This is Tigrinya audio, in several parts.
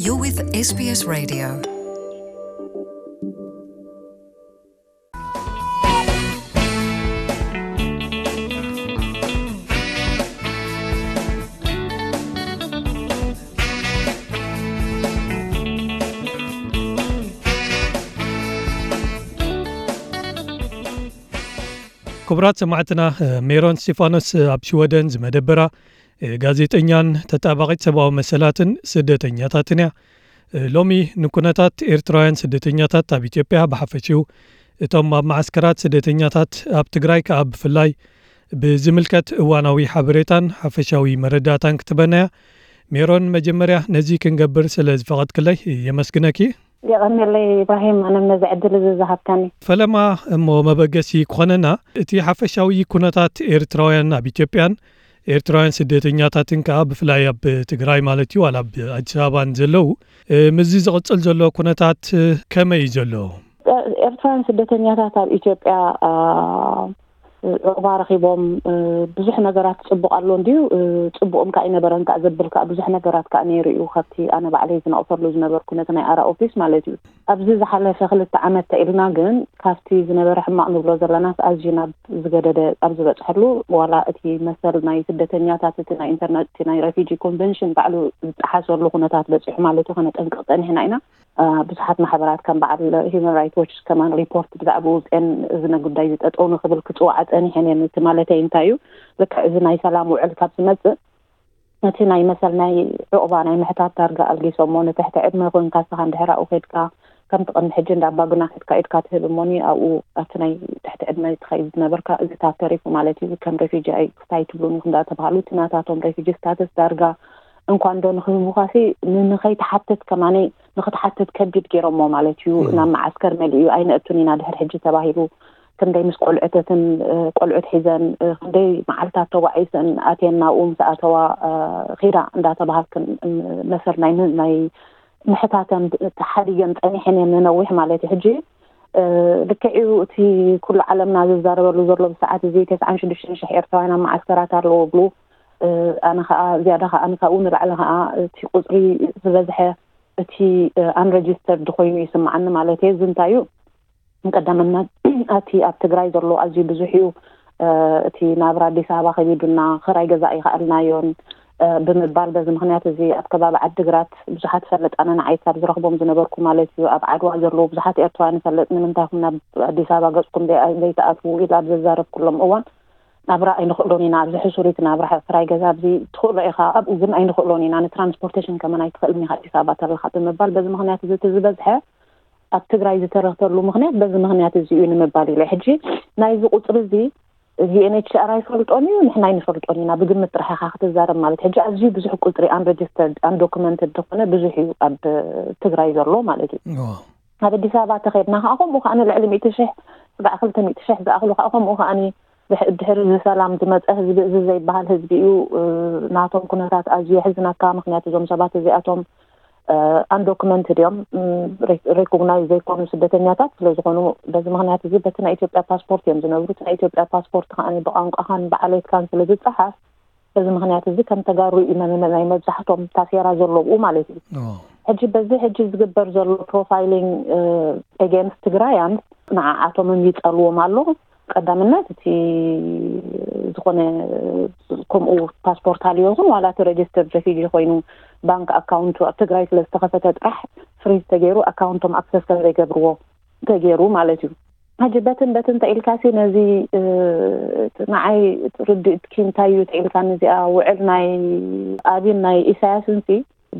You're with S B S Radio. ክቡራት ሰማዕትና፣ ሜሮን ስቲፋኖስ ኣብ ሽወደን ዝመደበራ ጋዜጠኛን ተጣባቒት ሰብኣዊ መሰላትን ስደተኛታትን እያ። ሎሚ ንኩነታት ኤርትራውያን ስደተኛታት ኣብ ኢትዮጵያ ብሓፈሽኡ፣ እቶም ኣብ መዓስከራት ስደተኛታት ኣብ ትግራይ ከኣ ብፍላይ ብዝምልከት እዋናዊ ሓበሬታን ሓፈሻዊ መረዳእታን ክትበናያ። ሜሮን፣ መጀመርያ ነዚ ክንገብር ስለ ዝፈቐድክለይ የመስግነኪ። የቐንየለይ ኢብራሂም፣ ኣነም ነዚ ዕድል እዚ ዝሃብካኒ። ፈለማ እሞ መበገሲ ክኾነና፣ እቲ ሓፈሻዊ ኩነታት ኤርትራውያን ኣብ ኢትዮጵያን ኤርትራውያን ስደተኛታትን ከኣ ብፍላይ ኣብ ትግራይ ማለት እዩ፣ ዋላ ኣብ ኣዲስ ኣበባን ዘለዉ፣ እ፣ ምስዚ ዝቕጽል ዘሎ ኩነታት፣ እ፣ ከመይ እዩ ዘሎ? ኤርትራውያን ስደተኛታት ኣብ ኢትዮጵያ፣ አ፣ ዑቕባ ረኺቦም፣ እ፣ ብዙሕ ነገራት ጽቡቕ ኣሎ እንድዩ፣ እ፣ ጽቡቕም ከኣ ኣይነበረን ከኣ ዘብል ከኣ ብዙሕ ነገራት ከኣ ነይሩ እዩ፣ ካብቲ ኣነ ባዕለይ ዝነቕፈሉ ዝነበርኩ ነቲ ናይ ኣራ ኦፊስ ማለት እዩ። ኣብዚ ዝሓለፈ ክልተ ዓመት ተኢልና ግን ካብቲ ዝነበረ ሕማቕ ንብሎ ዘለናስ ኣዝዩ ናብ ዝገደደ ኣብ ዝበጽሐሉ፣ ዋላ እቲ መሰል ናይ ስደተኛታት፣ እቲ ናይ ኢንተርና-፣ እቲ ናይ ሬፊጂ ኮንቨንሽን ባዕሉ ዝጠሓሰሉ ኩነታት በጺሑ ማለት እዩ፣ ከነጠንቅቕ ጸኒሕና ኢና። አ፣ ብዙሓት ማሕበራት ከም በዓል ሂውማን ራይትስ ዎች ከማን ሪፖርት ብዛዕባ ውፅኤን እዚ ጉዳይ ዝጠጠው ንክብል ክፅዋዓ ፀኒሐን እየን። እቲ ማለተይ እንታይ እዩ? ልክዕ እዚ ናይ ሰላም ውዕል ካብ ዝመፅእ፣ እቲ ናይ መሰል ናይ ዑቕባ ናይ ምሕታት ዳርጋ ኣልጊሶሞ፣ ንትሕቲ ዕድመ ኮይንካ ንስኻ እንድሕር ኣብኡ ከይድካ፣ ከምቲ ቅድሚ ሕጂ እንዳ ኣባግና ከድካ ኢድካ ትህብ እሞኒ፣ ኣብኡ ኣብቲ ናይ ትሕቲ ዕድመ ትኸይድ ዝነበርካ፣ እዚ ታብ ተሪፉ ማለት እዩ፣ ከም ሬፊጂ ኣይ ክስታይ ትብሉን ኢኹም እንዳተባሃሉ፣ እቲ ናታቶም ሬፊጂ ስታተስ ዳርጋ እንኳ እንዶ ንክህቡኻሲ፣ ን-፣ ንኸይትሓትት ከማነይ፣ ንክትሓትት ከቢድ ገይሮሞ ማለት እዩ። እም። ናብ መዓስከር መሊኡ ኣይነእቱን ኢና ድሕሪ ሕጂ ተባሂሉ፣ ክንደይ ምስ ቆልዑተትን፣ እ፣ ቆልዑት ሒዘን፣ እ፣ ክንደይ መዓልታት ተጓዒዘን ኣትየን ናብኡ ምስ ኣተዋ፣ እ፣ ኺዳ እንዳተባሃልክን፣ እ፣ መሰል ናይ ም-፣ ናይ ምሕታተን ተሓዲገን ጸኒሐን እየን ንነዊሕ ማለት እዩ። ሕጂ፣ እ፣ ልክዕ እዩ እቲ ኩሉ ዓለምና ዝዛረበሉ ዘሎ ብሰዓት እዚ ተስዓን ሽዱሽተን ሽሕ ኤርትራውያን ኣብ መዓስከራት ኣለዉ ብሉ። እ፣ ኣነ ኸኣ ዝያዳ ኸኣ ካብኡ ንላዕሊ ኸኣ እቲ ቁጽሪ ዝበዝሐ እቲ፣ እ፣ ኣንረጅስተርድ ኮይኑ ይስምዓኒ ማለት እየ። እዚ እንታይ እዩ? ቀዳምነት እቲ ኣብ ትግራይ ዘሎ ኣዝዩ ብዙሕ እዩ። እ፣ እቲ ናብራ ኣዲስ ኣበባ ከቢዱና፣ ክራይ ገዛ ኣይኸኣልናዮን፣ እ፣ ብምባል በዚ ምኽንያት እዚ ኣብ ከባቢ ዓዲግራት ብዙሓት እፈልጥ፣ ኣነ ንዓይ ካብ ዝረኽቦም ዝነበርኩ ማለት እዩ፣ ኣብ ዓድዋ ዘለዉ ብዙሓት ኤርትራውያን እፈልጥ፣ ንምንታይ ኢኹም ናብ ኣዲስ ኣበባ ገጽኩም ዘይ-፣ ዘይትኣትዉ ኢለ ኣብ ዘዛረብኩሎም እዋን፣ ናብራ ኣይንኽእሎን ኢና፣ ኣብዚ ሕሱር እቲ ናብራ፣ ክራይ ገዛ ኣብዚ ትኽእሎ ኢኻ፣ ኣብኡ ግን ኣይንኽእሎን ኢና፣ ንትራንስፖርቴሽን ከመን ኣይትኽእልን ኢኻ ኣዲስ ኣበባ ተለኻ ብምባል፣ በዚ ምኽንያት እዚ እቲ ዝበዝሐ ኣብ ትግራይ ዝተረፈሉ ምኽንያት በዚ ምኽንያት እዚ እዩ ንምባል ኢለ። ሕጂ ናይዚ ቁፅሪ እዚ ዩ ኤን ኤች ሲ ኣር ኣይፈልጦን እዩ፣ ንሕና ኣይንፈልጦን ኢና፣ ብግምት ጥራሕ ኢኻ ክትዛረብ ማለት። ሕጂ ኣዝዩ ብዙሕ ቁፅሪ ኣንረጅስተርድ፣ ኣንዶክመንትድ ዝኾነ ብዙሕ እዩ ኣብ ትግራይ ዘሎ ማለት እዩ። እዎ። ኣብ ኣዲስ ኣበባ ተኸድና ከዓ ከምኡ ከዓ ንልዕሊ ሚእቲ ሽሕ፣ ስጋዕ ክልተ ሚእቲ ሽሕ ዝኣኽሉ ከዓ ከምኡ ከዓ ድሕ-፣ ድሕሪ እዚ ሰላም ዝመፀ ህዝቢ፣ እዚ ዘይበሃል ህዝቢ እዩ። እ፣ ናቶም ኩነታት ኣዝዩ የሕዝነካ። ምኽንያቱ እዞም ሰባት እዚኣቶም፣ እ፣ ኣንዶክመንትድ እዮም፣ ም፣ ሬ-፣ ሬኮግናይዝ ዘይኮኑ ስደተኛታት ስለ ዝኾኑ፣ በዚ ምኽንያት እዚ በቲ ናይ ኢትዮጵያ ፓስፖርት እዮም ዝነብሩ። እቲ ናይ ኢትዮጵያ ፓስፖርት ከዓ ብቋንቋኻን ብዓሌትካን ስለ ዝፀሓፍ፣ በዚ ምኽንያት እዚ ከም ተጋሩ እዩ መ-፣ መ-፣ ናይ መብዛሕቶም ታሴራ ዘለዉ ማለት እዩ። ኦ። ሕጂ በዚ ሕጂ ዝግበር ዘሎ ፕሮፋይሊንግ፣ እ፣ ኤጌንስት ትግራያን ንዓኣቶምን ይጸልዎም ኣሎ። ቀዳምነት እቲ ዝኾነ ከምኡ ፓስፖርት ሃልዮ ይኹን ዋላ እቲ ሬጅስተርድ ሬፊጂ ኮይኑ ባንክ ኣካውንቱ ኣብ ትግራይ ስለ ዝተኸፈተ ጥራሕ ፍሪዝ ተገይሩ ኣካውንቶም ኣክሰስ ከም ዘይገብርዎ ተገይሩ ማለት እዩ። ሕጂ በትን በትን ተኢልካሲ ነዚ፣ እ፣ ንዓይ ርድእትኪ እንታይ እዩ ተኢልካኒ እዚኣ ውዕል ናይ ኣብይን ናይ ኢሳያስንሲ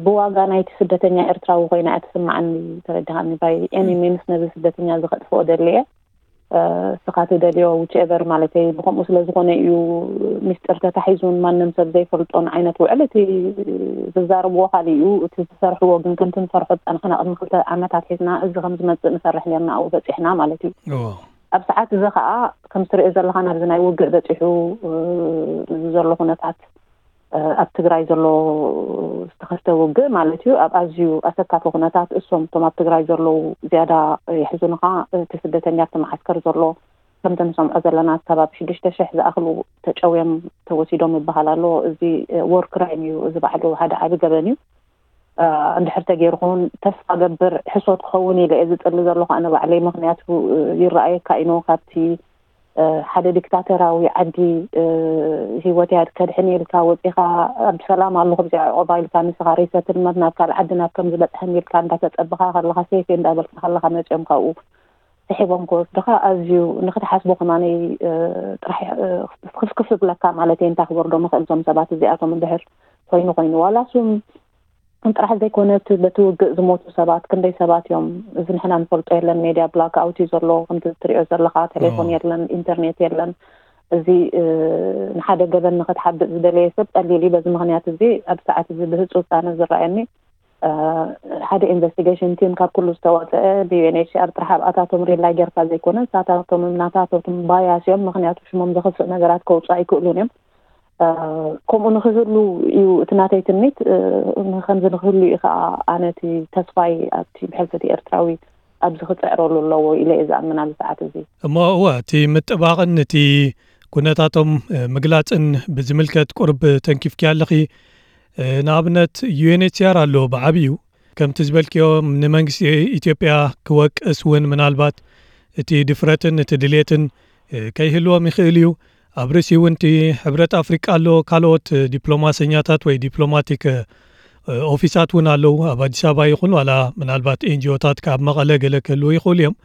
ብዋጋ ናይቲ ስደተኛ ኤርትራዊ ኮይና እያ ትስምዓኒ፣ ተረዲኻኒ? ባይ ኤኒ ሚንስ ነዚ ስደተኛ እዚ ከጥፍኦ ደሊ እየ። እ፣ እስኻ ትደልዮ ዊች ኤቨር ማለተይ ብኸምኡ ስለ ዝኾነ እዩ ሚስጥር ተታሒዙን ማንም ሰብ ዘይፈልጦን ዓይነት ውዕል። እቲ ዝዛረብዎ ካልእ እዩ፣ እቲ ዝሰርሕዎ ግን ከምቲ ንሰርሖ ዝጸናሕና ቅድሚ ክልተ ዓመት ኣትሒዝና እዚ ከም ዝመጽእ ንሰርሕ ኔርና ኣብኡ በጺሕና ማለት እዩ። እዎ። ኣብ ሰዓት እዚ ኸኣ ከም ትሪኦ ዘለኻ ናብዚ ናይ ውግእ በጺሑ፣ እ፣ እዚ ዘሎ ኩነታት እ፣ ኣብ ትግራይ ዘሎ ዝተኸስተ ውግእ ማለት እዩ፣ ኣብ ኣዝዩ ኣሰካፊ ኩነታት እሶም እቶም ኣብ ትግራይ ዘለዉ ዝያዳ የሕዝኑኻ። እቲ ስደተኛ ኣብቲ መዓስከር ዘሎ ከምቲ ንሰምዖ ዘለና ክሳብ ኣብ ሽዱሽተ ሽሕ ዝኣኽሉ ተጨውዮም ተወሲዶም ይበሃል ኣሎ። እዚ፣ እ፣ ዎር ክራይም እዩ፣ እዚ ባዕሉ ሓደ ዓቢ ገበን እዩ። እንድሕር ተገይሩ ክውን ተስፋ ገብር ሕሶት ክኸውን ኢለ እየ ዝጽሊ ዘለኹ ኣነ ባዕለይ። ምኽንያቱ ይረኣየካ ኢኖ ካብቲ ሓደ ዲክታተራዊ ዓዲ ህይወት ያድ ከድሕን ኢልካ ወፂኻ ኣብ ሰላም ኣለኹ ብዚኣ ዕቆባ ኢልካ ንስኻ ሪሰትልመንት ናብ ካልእ ዓዲ ናብ ከም ዝበፅሐን ኢልካ እንዳተፀበኻ ከለኻ ሴፍ እንዳበልካ ከለኻ መፅኦም ካብኡ ስሒቦም ክወስድኻ ኣዝዩ ንክትሓስቦ ከማነይ ጥራሕ ክፍክፍ ዝብለካ ማለት እየ። እንታይ ክበርዶ ምኽእል እዞም ሰባት እዚኣቶም እንድሕር ኮይኑ ኮይኑ ዋላ ሱም ጥራሕ ዘይኮነ እቲ በቲ ውግእ ዝሞቱ ሰባት ክንደይ ሰባት እዮም? እዚ ንሕና ንፈልጦ የለን። ሜድያ ብላክ ኣውት እዩ ዘሎ ከምቲ ትሪኦ ዘለኻ፣ ቴሌፎን የለን፣ ኢንተርኔት የለን። እዚ ንሓደ ገበን ንክትሓብእ ዝደለየ ሰብ ቀሊል እዩ። በዚ ምክንያት እዚ ኣብ ሰዓት እዚ ብህፁፅ ኣነ ዝረኣየኒ ሓደ ኢንቨስቲጌሽን ቲም ካብ ኩሉ ዝተወፀአ ብዩኤንኤችሲኣር ጥራሕ ኣብኣታቶም ሪላይ ጌርካ ዘይኮነ ንሳታቶም ናታቶም ባያስ እዮም። ምክንያቱ ሽሞም ዘኽፍእ ነገራት ከውፅኡ ኣይክእሉን እዮም። ከምኡ ንክህሉ እዩ እቲ ናተይ ትምኒት። ከምዚ ንክህሉ እዩ ከዓ ኣነ እቲ ተስፋይ ኣብቲ ብሕልፊ እቲ ኤርትራዊ ኣብዚ ክፅዕረሉ ኣለዎ ኢለ እየ ዝኣምን ኣብዚ ሰዓት እዚ። እሞ እወ፣ እቲ ምጥባቕን እቲ ኩነታቶም ምግላፅን ብዝምልከት ቁርብ ተንኪፍኪ ኣለኺ። ንኣብነት ዩኤንኤችሲኣር ኣሎ ብዓብዩ ከምቲ ዝበልክዮ ንመንግስቲ ኢትዮጵያ ክወቅስ እውን ምናልባት እቲ ድፍረትን እቲ ድሌትን ከይህልዎም ይኽእል እዩ። ኣብ ርእሲ እውን እቲ ሕብረት ኣፍሪቃ ኣሎ፣ ካልኦት ዲፕሎማሰኛታት ወይ ዲፕሎማቲክ ኦፊሳት እውን ኣለዉ ኣብ ኣዲስ ኣበባ ይኹን ዋላ ምናልባት ኤንጂኦታት ካብ መቐለ ገለ ክህልዉ ይኽእሉ እዮም።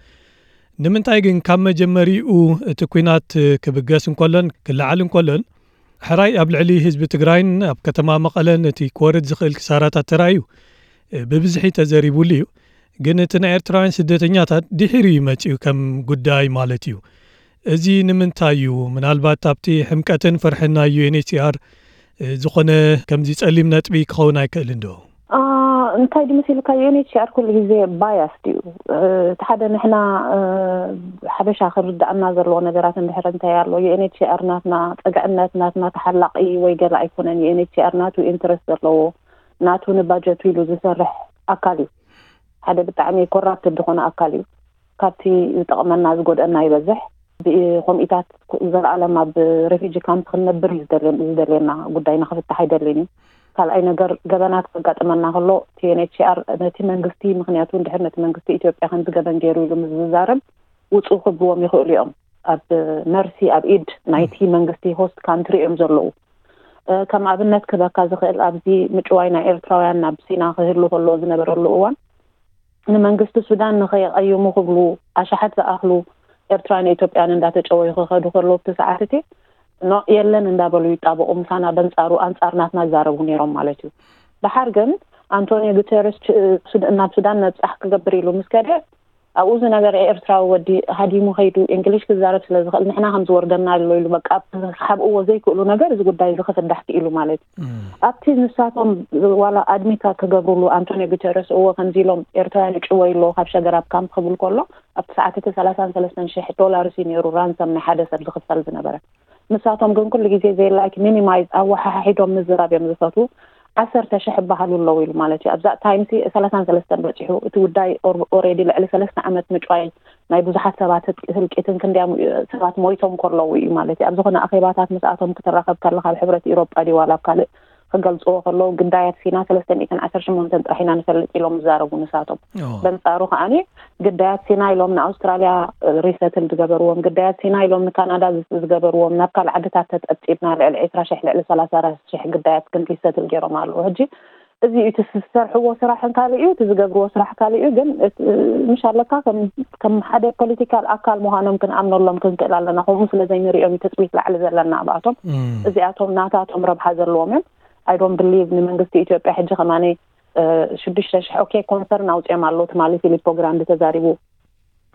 ንምንታይ ግን ካብ መጀመሪኡ እቲ ኲናት ክብገስ እንከሎን ክለዓል እንከሎን ሕራይ ኣብ ልዕሊ ህዝቢ ትግራይን ኣብ ከተማ መቐለን እቲ ክወርድ ዝኽእል ክሳራታት ተራእዩ ብብዝሒ ተዘሪቡሉ እዩ። ግን እቲ ናይ ኤርትራውያን ስደተኛታት ድሒሩ እዩ መጺኡ ከም ጉዳይ ማለት እዩ። እዚ ንምንታይ እዩ? ምናልባት ኣብቲ ሕምቀትን ፍርሕን ናይ ዩኤንኤችሲኣር ዝኾነ ከምዚ ጸሊም ነጥቢ ክኸውን ኣይክእልን ዶ? እንታይ ድመሲልካ ዩኤንኤችሲኣር ኩሉ ግዜ ባያስ እዩ። እቲ ሓደ ንሕና ሓበሻ ክርዳእና ዘለዎ ነገራት እንድሕር እንታይ ኣሎ ዩኤንኤችሲኣር ናትና ጸግዕነት ናትና ተሓላቂ ወይ ገለ ኣይኮነን። ዩኤንኤችሲኣር ናቱ ኢንትረስት ዘለዎ ናቱ ንባጀቱ ኢሉ ዝሰርሕ ኣካል እዩ። ሓደ ብጣዕሚ ኮራፕትድ ዝኾነ ኣካል እዩ። ካብቲ ዝጠቕመና ዝጎድአና ይበዝሕ። ኮሚታት ዘለኣለም ኣብ ሬፊጂ ካምፕ ክንነብር እዩ ዝደልየና ጉዳይ ንክፍታሕ ኣይደልን እዩ። ካልኣይ ነገር ገበናት ከጋጥመና ከሎ ቲኤንኤችሲኣር ነቲ መንግስቲ ምክንያቱ እንድሕር ነቲ መንግስቲ ኢትዮጵያ ከምዚ ገበን ገይሩ ኢሉ ምስ ዝዛረብ ውፁ ክብልዎም ይኽእሉ እዮም። ኣብ መርሲ ኣብ ኢድ ናይቲ መንግስቲ ሆስት ካንትሪ እዮም ዘለዉ። ከም ኣብነት ክበካ ዝኽእል ኣብዚ ምጭዋይ ናይ ኤርትራውያን ናብ ሲና ክህሉ ከሎ ዝነበረሉ እዋን ንመንግስቲ ሱዳን ንኸይቐይሙ ክብሉ ኣሽሓት ዝኣኽሉ ኤርትራን ኢትዮጵያን እንዳተጨወዩ ክኸዱ ከለዉ ኣብቲ ሰዓት እቲ ኖ የለን እንዳበሉ ይጣበቑ ምሳና በንጻሩ ኣንጻር ናትና ይዛረቡ ነይሮም ማለት እዩ። ደሓር ግን ኣንቶኒዮ ጉተረስ ናብ ሱዳን መብጻሕ ክገብር ኢሉ ምስ ከደ ኣብኡ ዝነበረ ኤርትራዊ ወዲ ሃዲሙ ከይዱ እንግሊሽ ክዛረብ ስለ ዝኽእል ንሕና ከም ዝወርደና ኣሎ ኢሉ በቃ ክሓብእዎ ዘይክእሉ ነገር እዚ ጉዳይ እዚ ክፍዳሕ ክኢሉ ማለት እዩ። ኣብቲ ንሳቶም ዋላ ኣድሚት ክገብሩሉ ኣንቶኒዮ ጉተረስ እዎ ከምዚ ኢሎም ኤርትራውያን ይጭወዩ ኣለዉ ካብ ሸገራብ ካምፕ ክብል ከሎ ኣብቲ ሰዓት እቲ ሰላሳን ሰለስተን ሽሕ ዶላርስ እዩ ነይሩ ራንሰም ናይ ሓደ ሰብ ዝኽፈል ዝነበረ። ንሳቶም ግን ኩሉ ግዜ ዘይ ላይክ ሚኒማይዝ ኣወሓሓሒዶም ምዝራብ እዮም ዝፈትዉ። ዓሰርተ ሽሕ ይበሃሉ ኣለዉ ኢሉ ማለት እዩ ኣብዛ ታይምሲ ሰላሳን ሰለስተን በፂሑ እቲ ጉዳይ ኦሬዲ ልዕሊ ሰለስተ ዓመት ምጭዋይ ናይ ብዙሓት ሰባት ህልቂትን ክንዲያ ሰባት ሞይቶም ከለዉ እዩ ማለት እዩ ኣብ ዝኾነ ኣኼባታት ምስኣቶም ክትራኸብ ከለካ ኣብ ሕብረት ኢሮጳ ድዩ ዋላ ኣብ ካልእ ክገልፅዎ ከለዉ ግዳያት ሲና ሰለስተ ሚእትን ዓሰርተ ሸሞንተን ጥራሕ ኢና ንፈልጥ ኢሎም ዝዛረቡ ንሳቶም። በንፃሩ ከዓኒ ግዳያት ሲና ኢሎም ንኣውስትራልያ ሪሰትል ዝገበርዎም ግዳያት ሲና ኢሎም ንካናዳ ዝገበርዎም ናብ ካልእ ዓድታት ተፀብፂብና ልዕሊ ዕስራ ሽሕ ልዕሊ ሰላሳ ሽሕ ግዳያት ግን ሪሰትል ገይሮም ኣለዉ ሕጂ። እዚ እቲ ዝሰርሕዎ ስራሕን ካልእ እዩ እቲ ዝገብርዎ ስራሕ ካልእ እዩ ግን ምሽ ኣለካ ከም ሓደ ፖለቲካል ኣካል ምዃኖም ክንኣምነሎም ክንክእል ኣለና ከምኡ ስለ ዘይንሪኦም እዩ ትፅቢት ላዕሊ ዘለና ኣብኣቶም። እዚኣቶም ናታቶም ረብሓ ዘለዎም እዮም። I don't believe ንመንግስቲ ኢትዮጵያ ሕጂ ከማነይ ሽዱሽተ ሽሕ ኦኬ ኮንሰርን ኣውፅኦም ኣለዉ ትማሊ ፊሊፖ ግራንዲ ተዛሪቡ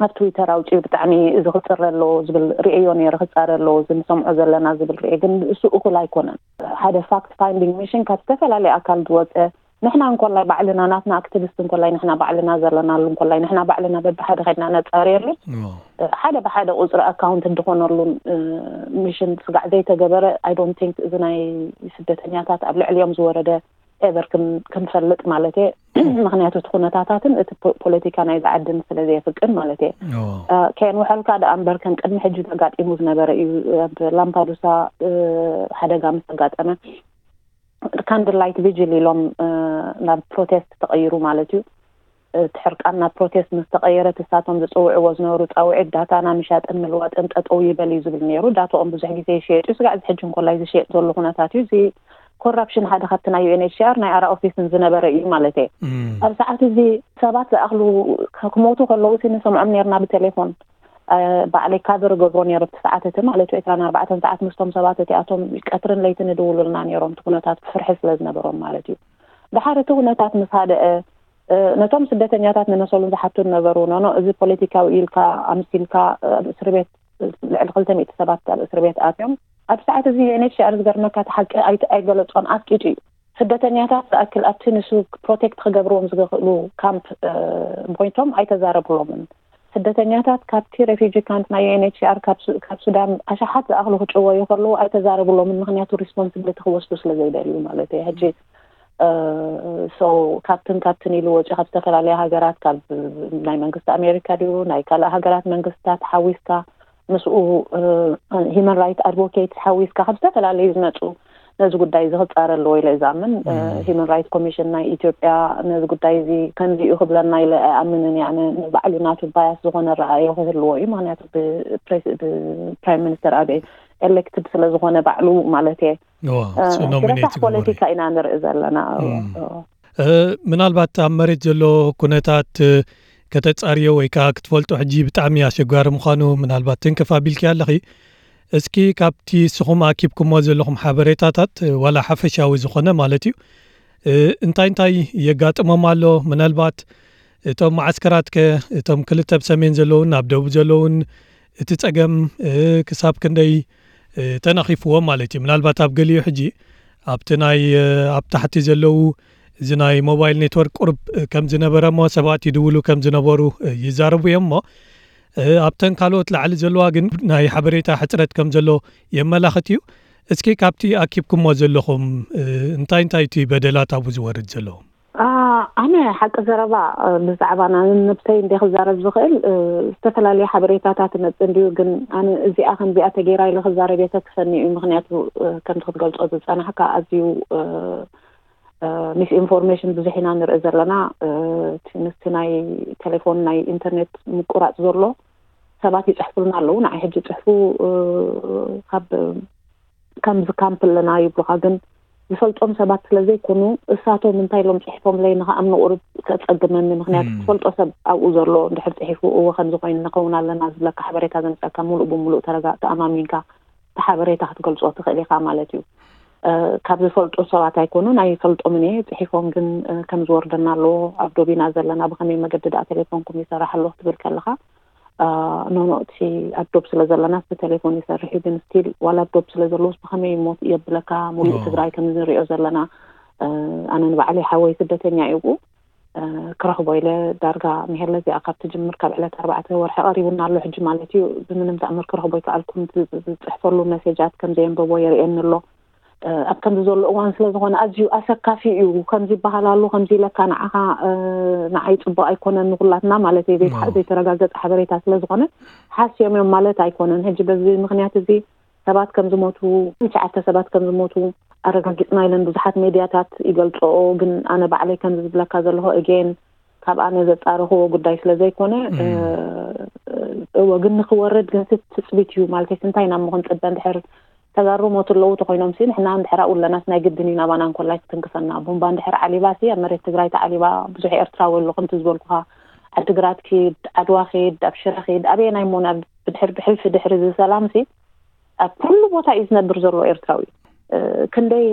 ኣብ ትዊተር ኣውፅኡ ብጣዕሚ እዚ ክፅረ ኣለዎ ዝብል ርእዮ ነይረ ክፃረ ኣለዎ እዚ ንሰምዖ ዘለና ዝብል ርእየ ግን እሱ እኹል ኣይኮነን። ሓደ ፋክት ፋይንዲንግ ሚሽን ካብ ዝተፈላለየ ኣካል ዝወፀ ንሕና እንኮላይ ባዕልና ናትና ኣክቲቪስት እንኮላይ ንሕና ባዕልና ዘለናሉ እንኮላይ ንሕና ባዕልና በብሓደ ከድና ነፃርየሉ ሓደ ብሓደ ቁፅሪ ኣካውንት እንድኾነሉን ሚሽን ስጋዕ ዘይተገበረ I don't think እዚ ናይ ስደተኛታት ኣብ ልዕሊኦም ዝወረደ ኤቨር ክንፈልጥ ማለት እየ። ምክንያቱ እቲ ኩነታታትን እቲ ፖለቲካ ናይ ዝዓድን ስለ ዘየፍቅን ማለት እየ። ከየንውሐልካ ደኣ እምበር ከም ቅድሚ ሕጂ ተጋጢሙ ዝነበረ እዩ። ኣብ ላምፓዱሳ ሓደጋ ምስ ተጋጠመ ካንድል ላይት ቪጅል ኢሎም ናብ ፕሮቴስት ተቐይሩ ማለት እዩ። እቲ ሕርቃን ናብ ፕሮቴስት ምስ ተቐየረ፣ እሳቶም ዝፅውዕዎ ዝነበሩ ፃውዒት ዳታና ምሻጥን ምልዋጥን ጠጠው ይበል እዩ ዝብል ነይሩ። ዳታኦም ብዙሕ ግዜ ይሸየጥ እዩ። ስጋዕ እዚ ሕጂ እንኮላይ ዝሸየጥ ዘሎ ኩነታት እዩ። እዚ ኮራፕሽን ሓደ ካብቲ ናይ ዩ ኤን ኤች ሲ ኣር ናይ ኣራ ኦፊስን ዝነበረ እዩ ማለት እየ። ኣብ ሰዓት እዚ ሰባት ዝኣኽሉ ክሞቱ ከለዉ ሲ ንሰምዖም ነርና ብቴሌፎን። ባዕለይ ካቨር ገብሮ ነይሩ ኣብቲ ሰዓት እቲ ማለት እዩ። ዕስራን ኣርባዕተን ሰዓት ምስቶም ሰባት እቲኣቶም ቀትርን ለይትን ይድውሉልና ነይሮም፣ እቲ ኩነታት ፍርሒ ስለ ዝነበሮም ማለት እዩ። ድሓር እቲ ኩነታት ምስ ሃደአ፣ ነቶም ስደተኛታት ንመሰሉን ዝሓቱ ነበሩ። ኖኖ፣ እዚ ፖለቲካዊ ኢልካ ኣምሲልካ ኣብ እስር ቤት ልዕሊ ክልተ ሚእቲ ሰባት ኣብ እስር ቤት ኣትዮም። ኣብ ሰዓት እዚ ዩ ኤን ኤች ሲ ኣር ዝገርመካ እቲ ሓቂ ኣይገለጾን፣ ኣስቂጡ እዩ። ስደተኛታት ዝኣክል ኣብቲ ንሱ ፕሮቴክት ክገብርዎም ዝኽእሉ ካምፕ ኮይቶም ኣይተዛረብሎምን። ስደተኛታት ካብቲ ሬፊጂ ካምፕ ናይ ዩ ኤን ኤች ሲ ኣር ካብ ሱዳን ኣሽሓት ዝኣኽሉ ክጭወዩ ከለዉ ኣይተዛረብሎምን፣ ምክንያቱ ሪስፖንስብሊቲ ክወስዱ ስለ ዘይደልዩ ማለት እዩ። ሕጂ ሶ ካብትን ካብትን ኢሉ ወፂኡ ካብ ዝተፈላለያ ሃገራት፣ ካብ ናይ መንግስቲ ኣሜሪካ ድዩ ናይ ካልእ ሃገራት መንግስታት ሓዊስካ ምስኡ ሂማን ራይት ኣድቮኬት ሓዊስካ ካብ ዝተፈላለዩ ዝመፁ ነዚ ጉዳይ እዚ ክፃረ ኣለዎ ኢለ እዛምን። ሂማን ራይት ኮሚሽን ናይ ኢትዮጵያ ነዚ ጉዳይ እዚ ከምዚ እዩ ክብለና ኢለ ኣይኣምንን እየ። ኣነ ንባዕሉ ናቱ ባያስ ዝኾነ ረኣዮ ክህልዎ እዩ። ምክንያቱ ብፕራይም ሚኒስተር ኣበይ ኤሌክትድ ስለ ዝኾነ ባዕሉ ማለት እየ። ረሳሕ ፖለቲካ ኢና ንርኢ ዘለና። ምናልባት ኣብ መሬት ዘሎ ኩነታት ከተጻርዮ ወይ ከዓ ክትፈልጦ ሕጂ ብጣዕሚ ኣሸጋሪ ምዃኑ ምናልባት ትንክፍ ኣቢልኪ ኣለኺ። እስኪ ካብቲ ንስኹም ኣኪብኩሞ ዘለኹም ሓበሬታታት ዋላ ሓፈሻዊ ዝኾነ ማለት እዩ እንታይ እንታይ የጋጥሞም ኣሎ? ምናልባት እቶም መዓስከራት ከ እቶም ክልተ ኣብ ሰሜን ዘለውን ኣብ ደቡብ ዘለውን እቲ ጸገም ክሳብ ክንደይ ተነኺፍዎም ማለት እዩ? ምናልባት ኣብ ገሊኡ ሕጂ ኣብቲ ናይ ኣብ ታሕቲ ዘለዉ እዚ ናይ ሞባይል ኔትወርክ ቁርብ ከም ዝነበረ እሞ ሰባት ይድውሉ ከም ዝነበሩ ይዛረቡ እዮም እሞ ኣብተን ካልኦት ላዕሊ ዘለዋ ግን ናይ ሓበሬታ ሕፅረት ከም ዘሎ የመላኽት እዩ። እስኪ ካብቲ ኣኪብኩሞ ዘለኹም እንታይ እንታይ እቲ በደላት ኣብኡ ዝወርድ ዘሎ? ኣነ ሓቂ ዘረባ ብዛዕባ ነብሰይ እንደ ክዛረብ ዝኽእል ዝተፈላለዩ ሓበሬታታት መፅ እንድዩ። ግን ኣነ እዚኣ ከምዚኣ ተገይራ ኢለ ክዛረብ የተክፈኒ እዩ። ምክንያቱ ከምቲ ክትገልፆ ዝፀናሕካ ኣዝዩ ሚስ ኢንፎርሜሽን ብዙሕ ኢና ንርኢ ዘለና። ምስቲ ናይ ቴሌፎን ናይ ኢንተርኔት ምቁራፅ ዘሎ ሰባት ይፅሕፉልና ኣለዉ። ንዓይ ሕጂ ፅሕፉ ካብ ከምዚ ካምፕ ኣለና ይብሉኻ፣ ግን ዝፈልጦም ሰባት ስለ ዘይኮኑ እሳቶም እንታይ ኢሎም ፅሒፎምለይ ንኽኣምኖ ቁሩብ ከፀግመኒ። ምክንያቱ ትፈልጦ ሰብ ኣብኡ ዘሎ እንድሕር ፅሒፉ እወ ከምዚ ኮይኑ ንኸውን ኣለና ዝብለካ ሓበሬታ ዘምፀካ ሙሉእ ብሙሉእ ተረጋ ተኣማሚንካ እቲ ሓበሬታ ክትገልፆ ትኽእል ኢኻ ማለት እዩ። ካብ ዝፈልጡ ሰባት ኣይኮኑን ኣይፈልጦምን እየ። ፅሒፎም ግን ከም ዝወርደና ኣለዎ ኣብ ዶብ ኢና ዘለና፣ ብኸመይ መገዲ ደኣ ቴሌፎንኩም ይሰርሕ ኣሎ ክትብል ከለኻ ኖኖ እቲ ኣብ ዶብ ስለ ዘለና እቲ ቴሌፎን ይሰርሕ እዩ፣ ግን ስቲል ዋላ ኣብ ዶብ ስለ ዘለውስ ብኸመይ እሞ የብለካ ሙሉእ ትግራይ ከም ንሪኦ ዘለና ኣነ ንባዕለይ ሓወይ ስደተኛ እዩ ክረኽቦ ኢለ ዳርጋ ምሄለ እዚኣ ካብ ትጅምር ካብ ዕለት ኣርባዕተ ወርሒ ቀሪቡና ኣሎ ሕጂ ማለት እዩ። ብምንም ተኣምር ክረኽቦ ይከኣልኩም ዝፅሕፈሉ መሴጃት ከም ዘየንበቦ የርእየኒ ኣሎ። ኣብ ከምዚ ዘሎ እዋን ስለ ዝኾነ ኣዝዩ ኣሰካፊ እዩ። ከምዚ ይበሃል ኣሎ ከምዚ ኢለካ ንዓኻ ንዓይ ፅቡቅ ኣይኮነን ንኩላትና ማለት እዩ። ዘይተረጋገፀ ሓበሬታ ስለ ዝኾነ ሓስዮም እዮም ማለት ኣይኮነን። ሕጂ በዚ ምክንያት እዚ ሰባት ከም ዝሞቱ ትሽዓተ ሰባት ከም ዝሞቱ ኣረጋጊፅና ኢለን ብዙሓት ሜድያታት ይገልፅኦ። ግን ኣነ ባዕለይ ከምዚ ዝብለካ ዘለኹ እጌን ካብ ኣነ ዘፃረኽዎ ጉዳይ ስለ ዘይኮነ እወ ግን ንክወርድ ግን ትፅቢት እዩ ማለት እንታይ ናብ ምኹን ፅበ እንድሕር ተጋሩ ሞቱ ኣለዉ ተኮይኖም ሲ ንሕና እንድሕር ኣብኡ ኣለናስ ናይ ግድን እዩ ናባና እንኮላይ ክትንክፈና። ቡምባ እንድሕር ዓሊባ ሲ ኣብ መሬት ትግራይ ተዓሊባ ብዙሕ ኤርትራዊ ኣሎ ከምቲ ዝበልኩኻ ዓድግራት ኪድ ዓድዋ ኪድ ኣብ ሽረ ኪድ ኣበየናይ እሞ ናብ ብድሕር ብሕልፊ ድሕሪ እዚ ሰላም ሲ ኣብ ኩሉ ቦታ እዩ ዝነብር ዘሎ ኤርትራዊ። ክንደይ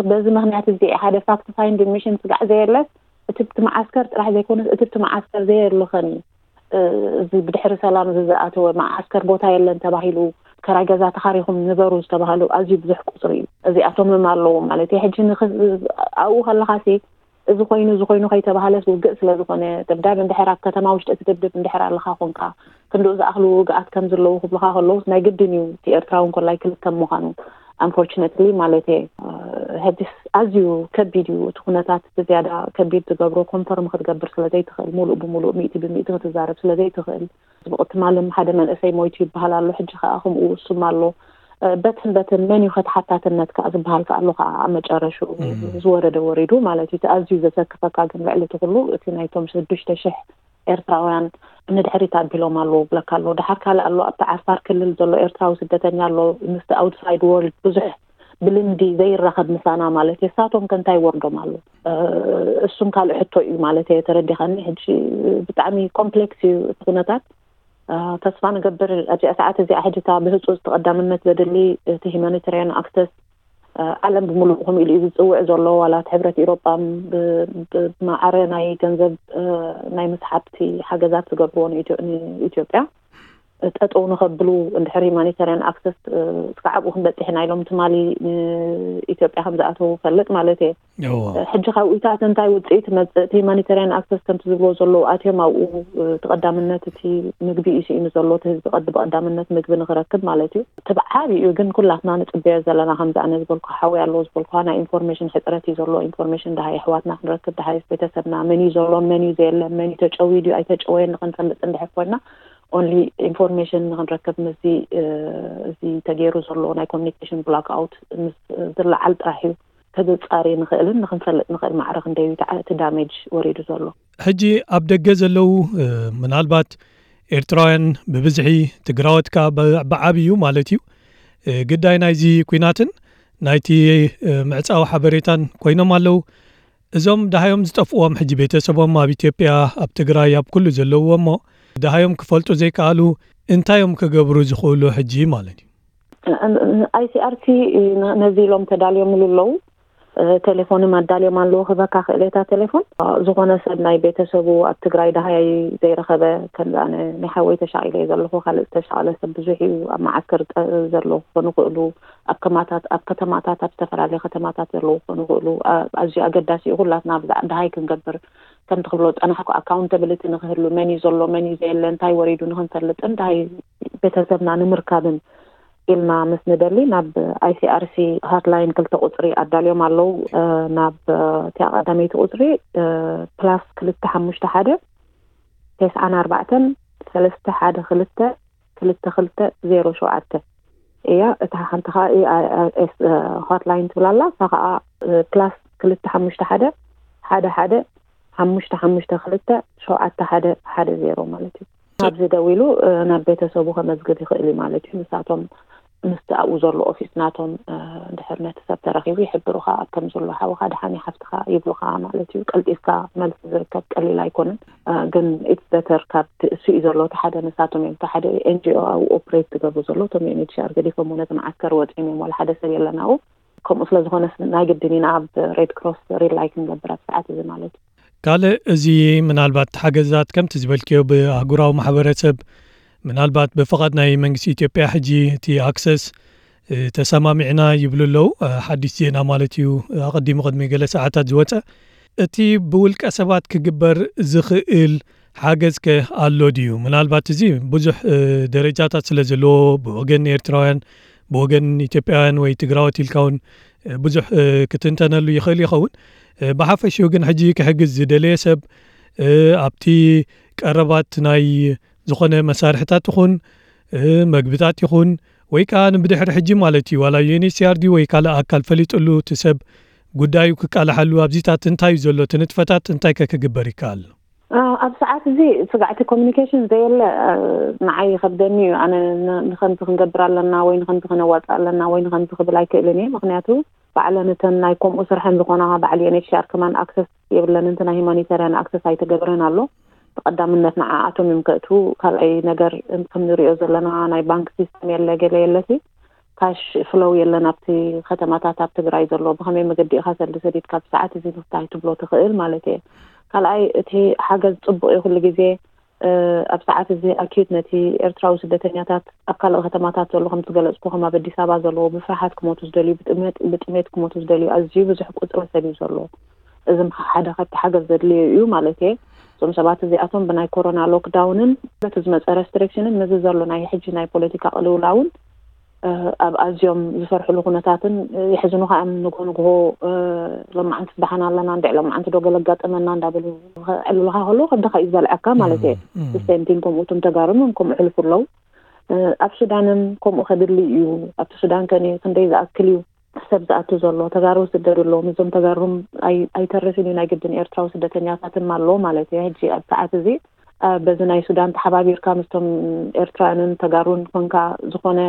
በዚ ምክንያት እዚ ሓደ ፋክት ፋይንድ ሚሽን ስጋዕ ዘየለስ እቲ ብቲ መዓስከር ጥራሕ ዘይኮነስ እቲ ብቲ መዓስከር ዘየለኸን እዩ። እዚ ብድሕሪ ሰላም እዚ ዝኣተወ መዓስከር ቦታ የለን ተባሂሉ ከራይ ገዛ ተኻሪኹም ንበሩ ዝተባሃሉ ኣዝዩ ብዙሕ ቁፅሪ እዩ። እዚኣቶምም ኣለዉ ማለት እዩ። ሕጂ ኣብኡ ከለኻሲ እዚ ኮይኑ እዚ ኮይኑ ከይተባሃለስ ውግእ ስለ ዝኾነ ደብዳብ እንድሕር ኣብ ከተማ ውሽጢ ትድብድብ እንድሕር ኣለኻ ኮንካ ክንድኡ ዝኣኽሉ ውግኣት ከም ዘለዉ ክብሉኻ ከለዉስ ናይ ግድን እዩ እቲ ኤርትራዊ እንኮላይ ክልከም ምዃኑ። ኣንፎርችነትሊ ማለት እየ። ሕጂስ ኣዝዩ ከቢድ እዩ እቲ ኩነታት ብዝያዳ ከቢድ ዝገብሮ ኮንፈርም ክትገብር ስለ ዘይትኽእል ሙሉእ ብሙሉእ ሚእቲ ብሚእቲ ክትዛረብ ስለ ዘይትኽእል። ጽቡቕ ትማልን ሓደ መንእሰይ ሞይቱ ይበሃል ኣሎ ሕጂ ከኣ ከምኡ ውሱም ኣሎ። በትን በትን መን እዩ ከተሓታትነት ከዓ ዝበሃል ከዓ ኣሎ ከዓ ኣብ መጨረሹ ዝወረደ ወሪዱ ማለት እዩ። እቲ ኣዝዩ ዘሰክፈካ ግን ልዕሊ እቲ ኩሉ እቲ ናይቶም ሽዱሽተ ሽሕ ኤርትራውያን ንድሕሪት ኣቢሎም ኣለዉ ብለካ ኣለዉ። ድሓር ካልእ ኣሎ ኣብቲ ዓፋር ክልል ዘሎ ኤርትራዊ ስደተኛ ኣሎ፣ ምስቲ ኣውትሳይድ ወርልድ ብዙሕ ብልምዲ ዘይራኸብ ምሳና ማለት እዩ። እሳቶም ከ እንታይ ይወርዶም ኣሎ? እሱን ካልእ ሕቶ እዩ ማለት እየ። ተረዲኻኒ? ሕጂ ብጣዕሚ ኮምፕሌክስ እዩ እቲ ኩነታት። ተስፋ ንገብር ኣብዚኣ ሰዓት እዚኣ ሕጂ እታ ብህፁፅ ተቐዳምነት ዘድሊ እቲ ሂማኒታሪያን ኣክሰስ ዓለም ብምሉእ ከምኡ ኢሉ እዩ ዝፅውዕ ዘሎ። ዋላ እቲ ሕብረት ኢሮጳ ብማዕረ ናይ ገንዘብ ናይ መስሓብቲ ሓገዛት ዝገብርዎ ንኢትዮጵያ ጠጠው ንኸብሉ እንድሕር ሂማኒታሪያን ኣክሰስ እስካብ ኣብኡ ክንበፅሕ ኢና ኢሎም ትማሊ ንኢትዮጵያ ከም ዝኣተዉ ፈልጥ ማለት እየ። ሕጂ ካብኡታት እንታይ ውፅኢት መፅእ? እቲ ሂማኒታሪያን ኣክሰስ ከምቲ ዝብልዎ ዘለዉ ኣትዮም ኣብኡ ተቐዳምነት እቲ ምግቢ እዩ ስኢኑ ዘሎ። እቲ ህዝቢ ቀዲ ብቐዳምነት ምግቢ ንክረክብ ማለት እዩ። እቲ ብዓብዩ ግን ኩላትና ንፅበዮ ዘለና ከምዚ ኣነ ዝበልኩ ሓዊ ኣለዎ ዝበልኩ ናይ ኢንፎርሜሽን ሕፅረት እዩ ዘሎ። ኢንፎርሜሽን ደሃይ ኣሕዋትና ክንረክብ ደሃይ ቤተሰብና መን እዩ ዘሎ መን እዩ ዘየለ መን እዩ ተጨውዩ ድዩ ኣይተጨወየን ንክንፈልጥ እንድሕር ኮይና ኦንሊ ኢንፎርሜሽን ንክንረክብ ምስዚ እዚ ተገይሩ ዘሎ ናይ ኮሚኒኬሽን ብላክ ኣውት ምስ ዝለዓል ጥራሕ እዩ ከዘጻሪ ንኽእልን ንክንፈልጥ ንኽእል ማዕረ ክንደይ እዩ እቲ ዳሜጅ ወሪዱ ዘሎ። ሕጂ ኣብ ደገ ዘለዉ ምናልባት ኤርትራውያን ብብዝሒ ትግራወት ከኣ ብዓብዩ ማለት እዩ ግዳይ ናይዚ ኩናትን ናይቲ ምዕጻዊ ሓበሬታን ኮይኖም ኣለዉ። እዞም ደሃዮም ዝጠፍዎም ሕጂ ቤተሰቦም ኣብ ኢትዮጵያ ኣብ ትግራይ ኣብ ኩሉ ዘለውዎ እሞ ደሃዮም ክፈልጡ ዘይከኣሉ እንታይ እዮም ክገብሩ ዝኽእሉ ሕጂ ማለት እዩ? ኣይሲኣርቲ ነዚ ኢሎም ተዳልዮምሉ ኣለዉ። ቴሌፎንም ኣዳልዮም ኣለዉ ክበካ ክእሌታ ቴሌፎን ዝኾነ ሰብ ናይ ቤተሰቡ ኣብ ትግራይ ደሃይ ዘይረኸበ ከምዚ ኣነ ናይ ሓወይ ተሻቒለ እየ ዘለኹ። ካልእ ዝተሻቐለ ሰብ ብዙሕ እዩ ኣብ መዓስከር ዘሎ ክኾኑ ይኽእሉ ኣብ ከማታት ኣብ ከተማታት ኣብ ዝተፈላለየ ከተማታት ዘለዉ ክኾኑ ይኽእሉ። ኣዝዩ ኣገዳሲ እዩ ኩላትና ብዛዕ ደሃይ ክንገብር ከምቲ ክብሎ ዝፀናሕኩ ኣካውንታብሊቲ ንክህሉ መን እዩ ዘሎ መን እዩ ዘየለ እንታይ ወሪዱ ንክንፈልጥን ደሃይ ቤተሰብና ንምርካብን ኢልና ምስ ንደሊ ናብ ኣይሲኣርሲ ሃትላይን ክልተ ቁፅሪ ኣዳልዮም ኣለዉ። ናብ እቲኣ ቀዳመይቲ ቁፅሪ ፕላስ ክልተ ሓሙሽተ ሓደ ተስዓን ኣርባዕተን ሰለስተ ሓደ ክልተ ክልተ ክልተ ዜሮ ሸውዓተ እያ። እታ ሓንቲ ከዓ ሆትላይን ትብላላ እሳ ከዓ ፕላስ ክልተ ሓሙሽተ ሓደ ሓደ ሓደ ሓሙሽተ ሓሙሽተ ክልተ ሸውዓተ ሓደ ሓደ ዜሮ ማለት እዩ። ኣብዚ ደዊሉ ናብ ቤተሰቡ ከመዝግብ ይኽእል እዩ ማለት እዩ። ንሳቶም ምስቲ ኣብኡ ዘሎ ኦፊስ ናቶም ድሕር ነቲ ሰብ ተረኺቡ ይሕብሩኻ ኣብ ከም ዘሎ ሓውኻ ደሓን ሓፍትኻ ይብሉኻ ማለት እዩ። ቀልጢፍካ መልሲ ዝርከብ ቀሊል ኣይኮነን። ግን ኢትስ በተር ካብ እሱ እዩ ዘሎ እቲ ሓደ ንሳቶም እዮም እቲ ሓደ ኤንጂኦ ኣብኡ ኦፕሬት ዝገብሩ ዘሎ እቶም ዩኤንኤችሲኣር ገዲፎም ነቲ መዓስከር ወፂኦም እዮም ዋላ ሓደ ሰብ የለን ኣብኡ። ከምኡ ስለ ዝኾነ ናይ ግድን ኢና ኣብ ሬድ ክሮስ ሪላይ ክንገብር ኣብ ሰዓት እዚ ማለት እዩ። ካልእ እዚ ምናልባት ሓገዛት ከምቲ ዝበልክዮ ብኣህጉራዊ ማሕበረሰብ ምናልባት ብፍቓድ ናይ መንግስቲ ኢትዮጵያ ሕጂ እቲ ኣክሰስ ተሰማሚዕና ይብሉ ኣለዉ። ሓድሽ ዜና ማለት እዩ። ኣቐዲሙ ቅድሚ ገለ ሰዓታት ዝወፀ እቲ ብውልቀ ሰባት ክግበር ዝኽእል ሓገዝ ከ ኣሎ ድዩ? ምናልባት እዚ ብዙሕ ደረጃታት ስለ ዘለዎ ብወገን ኤርትራውያን ብወገን ኢትዮጵያውያን ወይ ትግራዎት ኢልካ እውን ብዙሕ ክትንተነሉ ይኽእል ይኸውን። ብሓፈሽኡ ግን ሕጂ ክሕግዝ ዝደለየ ሰብ ኣብቲ ቀረባት ናይ ዝኾነ መሳርሕታት ይኹን መግብታት ይኹን ወይ ከዓ ንብድሕሪ ሕጂ ማለት እዩ ዋላ ዩኤንኤችሲኣር ድዩ ወይ ካልእ ኣካል ፈሊጥሉ እቲ ሰብ ጉዳዩ ክቃልሓሉ ኣብዚታት እንታይ እዩ ዘሎ እቲ ንጥፈታት እንታይ ከ ክግበር ይከኣል? ኣብ ሰዓት እዚ ስጋዕቲ ኮሚኒኬሽን ዘየለ ንዓይ ይኸብደኒ እዩ። ኣነ ንኸምዚ ክንገብር ኣለና ወይ ንኸምዚ ክነዋፅእ ኣለና ወይ ንኸምዚ ክብል ኣይክእልን እየ። ምክንያቱ ባዕለን እተን ናይ ከምኡ ስርሐን ዝኾና ባዕል ዩኤንኤችሲኣር ከማን ኣክሰስ የብለን። እቲ ናይ ሂማኒታርያን ኣክሰስ ኣይተገብረን ኣሎ። ብቐዳምነት ንዓኣቶም እዮም ከእቱ። ካልኣይ ነገር ከም ንሪኦ ዘለና ናይ ባንክ ሲስተም የለ ገለ የለሲ ካሽ ፍሎው የለን ኣብቲ ከተማታት ኣብ ትግራይ ዘሎ። ብኸመይ መገዲ ኢኻ ሰልዲ ሰዲድካ ብሰዓት እዚ ንፍታይ ትብሎ ትኽእል ማለት እየ። ካልኣይ እቲ ሓገዝ ፅቡቕ እዩ ኩሉ ግዜ ኣብ ሰዓት እዚ ኣኪዩት ነቲ ኤርትራዊ ስደተኛታት ኣብ ካልእ ከተማታት ዘሎ ከም ዝገለፅኩ ከም ኣብ ኣዲስ ኣበባ ዘለዎ ብፍርሓት ክሞቱ ዝደልዩ ብጥሜት ክሞቱ ዝደልዩ ኣዝዩ ብዙሕ ቁፅሪ ሰብ እዩ ዘሎ። እዚ ሓደ ካብቲ ሓገዝ ዘድልዮ እዩ ማለት እየ። እዞም ሰባት እዚኣቶም ብናይ ኮሮና ሎክዳውንን በቲ ዝመፀ ሬስትሪክሽንን ምስዚ ዘሎ ናይ ሕጂ ናይ ፖለቲካ ቅልውላውን ኣብ ኣዝዮም ዝፈርሕሉ ኩነታትን የሕዝኑኻ እዮም። ንጎ ንግሆ ሎማዓንቲ ደሓን ኣለና እንድዕ ሎማዓንቲ ዶ ገለ ኣጋጠመና እንዳበሉ ከዕልሉኻ ከለዉ ከብድኻ እዩ ዝበልዐካ ማለት እየ። ስቴምቲን ከምኡ እቶም ተጋሩን ከምኡ ሕልፉ ኣለዉ። ኣብ ሱዳንን ከምኡ ከድሊ እዩ። ኣብቲ ሱዳን ከ ክንደይ ዝኣክል እዩ ሰብ ዝኣቱ ዘሎ? ተጋሩ ዝስደዱ ኣለዎም። እዞም ተጋሩም ኣይተርፍን እዩ፣ ናይ ግድን ኤርትራዊ ስደተኛታትን ኣለዎ ማለት እዩ። ሕጂ ኣብ ሰዓት እዚ በዚ ናይ ሱዳን ተሓባቢርካ ምስቶም ኤርትራውያንን ተጋሩን ኮንካ ዝኾነ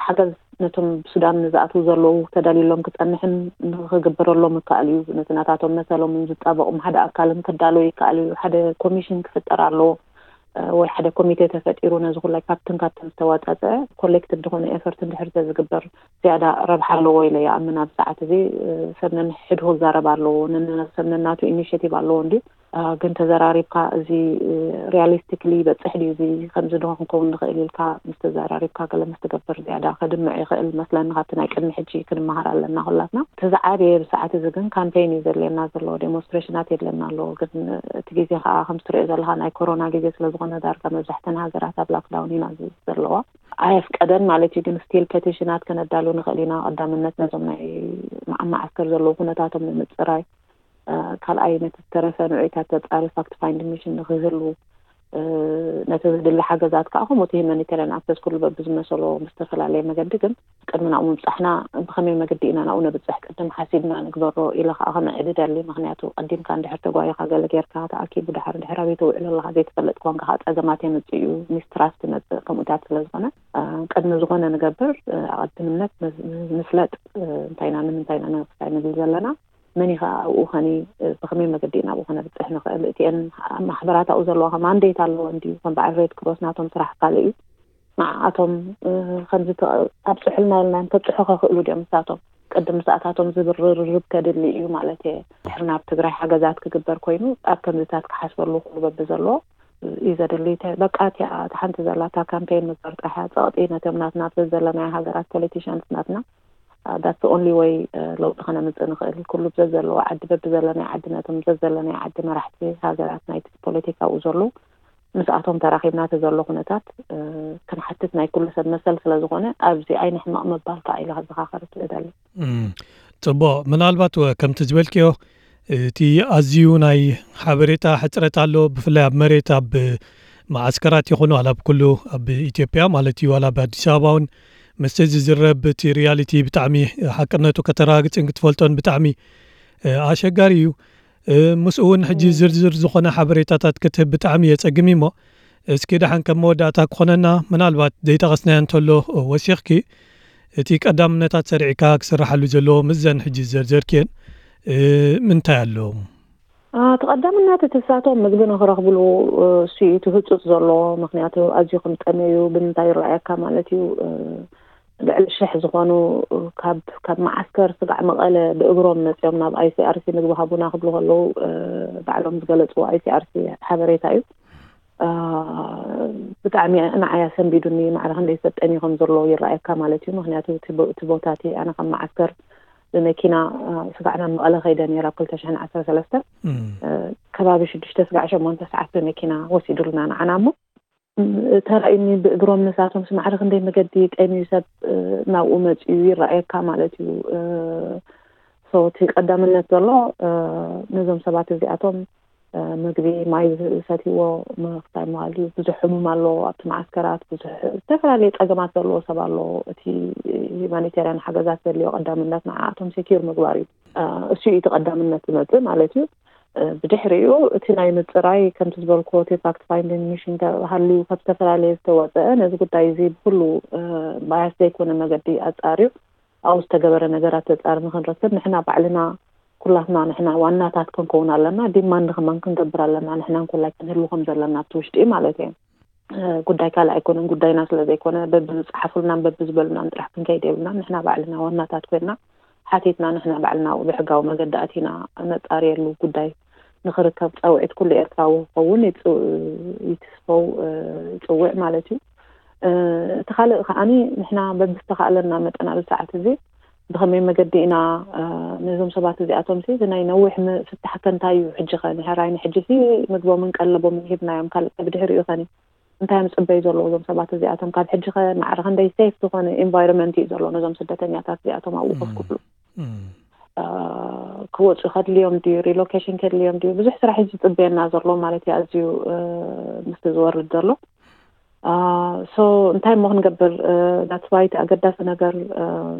ሓገዝ ነቶም ብሱዳን ዝኣትዉ ዘለዉ ተዳልዩሎም ክጸንሕን ንክግበረሎም ይከኣል እዩ። ነቲ ናታቶም መሰሎምን ዝጣበቑም ሓደ ኣካልን ክዳሎ ይከኣል እዩ። ሓደ ኮሚሽን ክፍጠር ኣለዎ ወይ ሓደ ኮሚቴ ተፈጢሩ ነዚ ኩላይ ካብትን ካብትን ዝተዋጻጸ ኮሌክቲቭ ዝኾነ ኤፈርት እንድሕር ተዝግበር ዝያዳ ረብሓ ኣለዎ ኢለ ይኣምን። ኣብ ሰዓት እዚ ሰብ ነንሕድሁ ክዛረብ ኣለዎ፣ ሰብ ነናቱ ኢኒሽቲቭ ኣለዎ እንድዩ። ግን ተዘራሪብካ እዚ ሪያሊስቲክሊ በጽሕ ድዩ እዚ ከምዚ ዶ ክንከውን ንኽእል ኢልካ ምስ ተዘራሪብካ ገለ ምስ ትገብር ዝያዳ ከድምዕ ይኽእል መስለኒ። ካብቲ ናይ ቅድሚ ሕጂ ክንመሃር ኣለና ኩላትና። እቲ ዝዓበየ ብሰዓት እዚ ግን ካምፔይን እዩ ዘድልየና ዘሎ፣ ዴሞንስትሬሽናት የድልየና ኣሎ። ግን እቲ ግዜ ከዓ ከም ትሪኦ ዘለካ ናይ ኮሮና ግዜ ስለዝኾነ ዳርጋ መብዛሕተን ሃገራት ኣብ ላክዳውን ኢና ዘለዋ። ኣየፍቀደን ማለት እዩ። ግን ስቲል ፔቲሽናት ከነዳሉ ንኽእል ኢና። ቀዳምነት ነዞም ናይ መዓስከር ዘለዉ ኩነታቶም ንምፅራይ ካልኣይ ነቲ ዝተረፈ ንዑይታት ተጻሪ ፋክት ፋይንድ ሚሽን ንክህሉ ነቲ ዝድሊ ሓገዛት ከዓ ከምኡ እቲ ሂማኒቴሪያን ኣክሰስ ኩሉ በብዝመሰሎ ብዝተፈላለየ መገዲ ግን ቅድሚ ናብኡ ምብጻሕና ብኸመይ መገዲ ኢና ናብኡ ነብጽሕ ቅድም ሓሲብና ንግበሮ ኢለ ከዓ ከመዕድድ ኣሊ። ምክንያቱ ቀዲምካ እንድሕር ተጓይኻ ገለ ጌርካ ተኣኪቡ ድሓር እንድሕር ኣበይ ተውዕሎ ኣለካ ዘይተፈለጥ ኮንካ ከዓ ጸገማት የምጽእ እዩ፣ ሚስትራስት ይመጽእ። ከምኡታት ስለዝኾነ ቅድሚ ዝኾነ ንገብር ኣቐድምነት ንፍለጥ። እንታይ ኢና ንምንታይ ኢና ንክታይ ንብል ዘለና መን ኢኻ ኣብኡ ኸኒ ብኸመይ መገዲ ኢና ኣብኡ ኸነብፅሕ ንኽእል? እቲአን ማሕበራት ኣብኡ ዘለዋ ኸ ማንዴት ኣለወን ድዩ? ከም በዓል ሬድ ክሮስ ናቶም ስራሕ ካልእ እዩ። ንዓኣቶም ከምዚ ኣብፅሑልና ኢልና እዮም ከብፅሑ ከኽእሉ ድዮም ንሳቶም? ቅድም ምስኣታቶም ዝብርርርብ ከድሊ እዩ ማለት እየ። ድሕሪ ናብ ትግራይ ሓገዛት ክግበር ኮይኑ ኣብ ከምዚታት ክሓስበሉ ኩሉ በቢ ዘለዎ እዩ ዘድሊ። በቃ እቲኣ ሓንቲ ዘላታ ካምፔን ምግባር ጥራሕ እያ። ፀቕጢ ነቶም ናትና ዘለናዮ ሃገራት ፖለቲሽንስ ናትና that's the only way ለውጢ ከነምፅእ ንኽእል። ኩሉ ብዘዘለዎ ዓዲ በብዘለናይ ዓዲ ነቶም ዘዘለናይ ዓዲ መራሕቲ ሃገራት ናይቲ ፖለቲካ ኣብኡ ዘሎ ምስኣቶም ተራኺብና እቲ ዘሎ ኩነታት ክንሓትት ናይ ኩሉ ሰብ መሰል ስለ ዝኾነ ኣብዚ ኣይንሕመቕ ምባል ከዓ ኢለ ከዘኻኸር እደሊ። ጽቡቕ። ምናልባት ከምቲ ዝበልክዮ እቲ ኣዝዩ ናይ ሓበሬታ ሕጽረት ኣሎ። ብፍላይ ኣብ መሬት ኣብ መዓስከራት ይኹኑ ኣላ ኣብ ኩሉ ኣብ ኢትዮጵያ ማለት እዩ ዋላ ኣብ ኣዲስ ኣበባ እውን ምስቲ ዝዝረብ እቲ ሪያሊቲ ብጣዕሚ ሓቅነቱ ከተረጋግጽን ክትፈልጦን ብጣዕሚ ኣሸጋሪ እዩ። ምስኡ እውን ሕጂ ዝርዝር ዝኾነ ሓበሬታታት ክትህብ ብጣዕሚ የጸግም እሞ እስኪ ደሓን ከም መወዳእታ ክኾነና ምናልባት ዘይጠቐስናዮ እንተሎ ወሲኽኪ እቲ ቀዳምነታት ሰሪዕካ ክስራሓሉ ዘለዎ ምስዘን ሕጂ ዝዘርዘርክየን ምንታይ ኣሎ? እቲ ቀዳምነት እቲ ንሳቶም ምግቢ ንክረኽብሉ እሱ እዩ እቲ ህፁፅ ዘሎ። ምክንያቱ ኣዝዩ ከም ጠመዩ ብምንታይ ይረኣየካ ማለት እዩ። ልዕሊ ሽሕ ዝኾኑ ካብ ካብ መዓስከር ስጋዕ መቐለ ብእግሮም መፅኦም ናብ ኣይሲኣርሲ ምግቢ ሃቡና ክብሉ ከለዉ ባዕሎም ዝገለፅዎ ኣይሲኣርሲ ሓበሬታ እዩ። ብጣዕሚ ንዓይ ኣሰንቢዱኒ። ማዕረ ክንደይ ሰብ ጠምዩ ከም ዘሎ ይረኣየካ ማለት እዩ። ምክንያቱ እቲ ቦታ እቲ ኣነ ካብ መዓስከር ብመኪና ስጋዕ ናብ መቐለ ከይደ ነይረ ኣብ ክልተ ሽሕን ዓሰርተ ሰለስተን ከባቢ ሽዱሽተ ስጋዕ ሸሞንተ ሰዓት ብመኪና ወሲዱልና ንዓና እሞ ተራእዩኒ ብእግሮም ንሳቶም ስማዕሪ ክንደይ መገዲ ጠምዩ ሰብ ናብኡ መፅዩ ይረኣየካ ማለት እዩ። እቲ ቀዳምነት ዘሎ ነዞም ሰባት እዚኣቶም ምግቢ ማይ ዝሰትይዎ ምክታይ ምባል እዩ። ብዙሕ ሕሙም ኣሎ ኣብቲ መዓስከራት፣ ብዙሕ ዝተፈላለየ ፀገማት ዘለዎ ሰብ ኣሎ። እቲ ሂማኒቴርያን ሓገዛት ዘድልዮ ቀዳምነት ንዓኣቶም ሴኪር ምግባር እዩ። እሱ እዩ እቲ ቀዳምነት ዝመፅእ ማለት እዩ። ብድሕሪኡ እቲ ናይ ምፅራይ ከምቲ ዝበልክዎ እቲ ፋክት ፋይንዲንግ ሚሽን ሃልዩ ካብ ዝተፈላለየ ዝተወፀአ ነዚ ጉዳይ እዚ ብኩሉ ባያስ ዘይኮነ መገዲ ኣፃርዩ ኣብኡ ዝተገበረ ነገራት ተፃሪ ንክንረክብ ንሕና ባዕልና ኩላትና ንሕና ዋናታት ክንከውን ኣለና። ዲማንድ ከማን ክንገብር ኣለና። ንሕና እንኮላይ ክንህሉ ከም ዘለና ኣብቲ ውሽጢ ማለት እየ። ጉዳይ ካልእ ኣይኮነን። ጉዳይና ስለ ዘይኮነ በብዝፀሓፉልናን በብዝበሉናን ጥራሕ ክንከይድ የብልናን። ንሕና ባዕልና ዋናታት ኮይንና ሓቲትና ንሕና ባዕልና ብሕጋዊ መገዲ ኣቲና ነፃርየሉ ጉዳይ ንክርከብ ፃውዒት ኩሉ ኤርትራዊ ክኸውን ይትስፈው ይፅውዕ ማለት እዩ። እቲ ካልእ ከዓኒ ንሕና በብዝተኻእለና መጠን ኣብዚ ሰዓት እዚ ብኸመይ መገዲ ኢና ነዞም ሰባት እዚኣቶም ሲ ናይ ነዊሕ ፍታሕ ከንታይ እዩ ሕጂ ኸ ንሕራይ ንሕጂ ሲ ምግቦምን ቀለቦምን ሂብናዮም ካልእ ብድሕሪኡ ኸኒ እንታይ እዮም ዝፅበዩ ዘለዉ እዞም ሰባት እዚኣቶም? ካብ ሕጂ ኸ ማዕረ ክንደይ ሴፍ ዝኾነ ኢንቫይሮንመንት እዩ ዘሎ ነዞም ስደተኛታት እዚኣቶም ኣብኡ ኮፍ ክብሉ? ክወፁ ከድልዮም ድዩ? ሪሎኬሽን ከድልዮም ድዩ? ብዙሕ ስራሕ እዩ ዝፅበየና ዘሎ ማለት እዩ። ኣዝዩ ምስቲ ዝወርድ ዘሎ so እንታይ እሞ ክንገብር? That's why እቲ ኣገዳሲ ነገር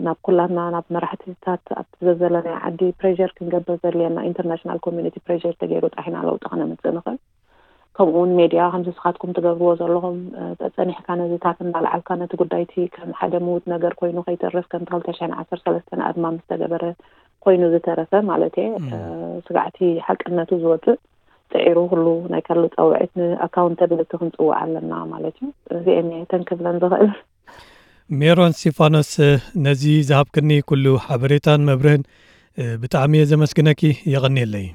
ናብ ኩላትና ናብ መራሕትታት ኣብቲ ዘዘለናይ ዓዲ ፕሬር ክንገብር ዘድልየና፣ ኢንተርናሽናል ኮሚኒቲ ፕሬር ተገይሩ ጥራሕ ኢና ለውጢ ከነምፅእ ንኽእል። ከምኡ እውን ሜድያ ከምዚ ስኻትኩም ትገብርዎ ዘለኹም ጸኒሕካ ነዚታት እንዳልዓልካ ነቲ ጉዳይቲ ከም ሓደ ምውት ነገር ኮይኑ ከይተርፍ ከምቲ ክልተ ሽሕን ዓሰርተ ሰለስተን ኣድማ ምስ ተገበረ ኮይኑ ዝተረፈ ማለት እየ። ስጋዕቲ ሓቅነቱ ዝወፅእ ፅዒሩ ኩሉ ናይ ካልእ ፃውዒት ንኣካውንተብሊቲ ክንፅውዕ ኣለና ማለት እዩ። እዚኤን እየ ተንክብለን ዝኽእል። ሜሮን እስቲፋኖስ፣ ነዚ ዝሃብክኒ ኩሉ ሓበሬታን መብርህን ብጣዕሚ እየ ዘመስግነኪ። የቐንየለይ።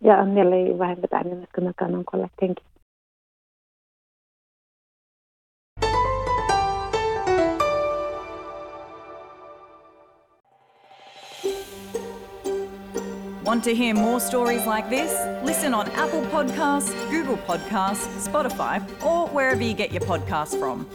የቐንየለይ ባህን፣ ብጣዕሚ የመስግነካ። ናንኮላ፣ thank you። Want to hear more stories like this? Listen on Apple Podcasts, Google Podcasts, Spotify, or wherever you get your podcasts from.